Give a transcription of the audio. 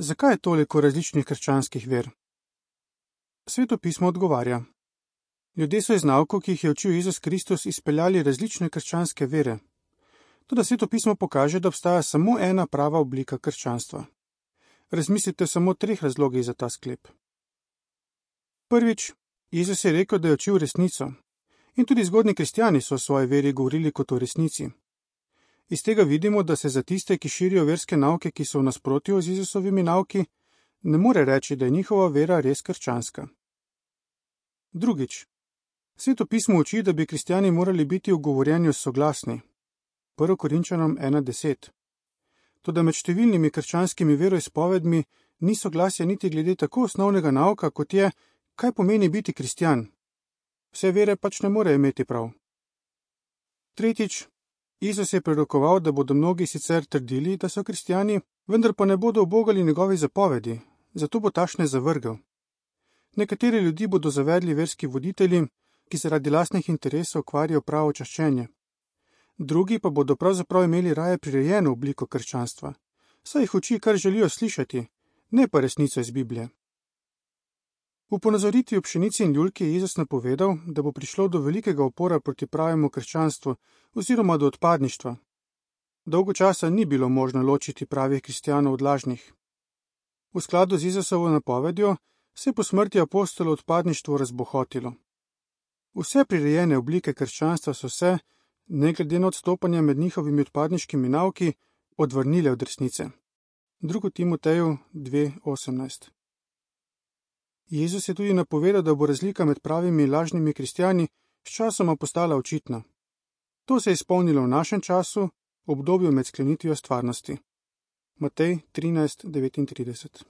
Zakaj je toliko različnih krščanskih ver? Sveto pismo odgovarja. Ljudje so iz naukov, ki jih je učil Jezus Kristus, izpeljali različne krščanske vere. Toda Sveto pismo pokaže, da obstaja samo ena prava oblika krščanstva. Razmislite samo o 3 razlogih za ta sklep. Prvič, Jezus je rekel, da je učil resnico. In tudi zgodnji kristjani so o svoji veri govorili kot o resnici. Iz tega vidimo, da se za tiste, ki širijo verske nauke, ki so v nasprotju z Jezusovimi nauki, ne more reči, da je njihova vera res krščanska. Drugič, Sveto pismo uči, da bi kristjani morali biti v govorjenju soglasni. 1. Korinčanom 1:10. Toda med številnimi krščanskimi veroizpovedmi ni soglasja niti glede tako osnovnega nauka, kot je, kaj pomeni biti kristjan. Vse vere pač ne more imeti prav. Tretjič, Jezus je prerokoval, da bodo mnogi sicer trdili, da so kristjani, vendar pa ne bodo ubogali njegovi zapovedi, zato bo tašne zavrgel. Nekateri ljudi bodo zavedli verski voditelji, ki zaradi lastnih interesov kvarijo pravo čaščenje. Drugi pa bodo pravzaprav imeli raje prirejeno obliko krščanstva, saj jih uči, kar želijo slišati, ne pa resnico iz Biblije. V ponazoritvi o pšenici in ljulki je Jezus napovedal, da bo prišlo do velikega upora proti pravemu krščanstvu oziroma do odpadništva. Dolgo časa ni bilo možno ločiti pravih kristjanov od lažnih. V skladu z Jezusovo napovedjo se je po smrti apostolov odpadništvo razbohotilo. Vse prirejene oblike krščanstva so se, ne glede na odstopanja med njihovimi odpadniškimi nauki, odvrnile od resnice. 2. Timoteju 2:18. Jezus je tudi napovedal, da bo razlika med pravimi in lažnimi kristjani sčasoma postala očitna. To se je izpolnilo v našem času, v obdobju med sklenitvijo stvarnosti. Matej 13:39.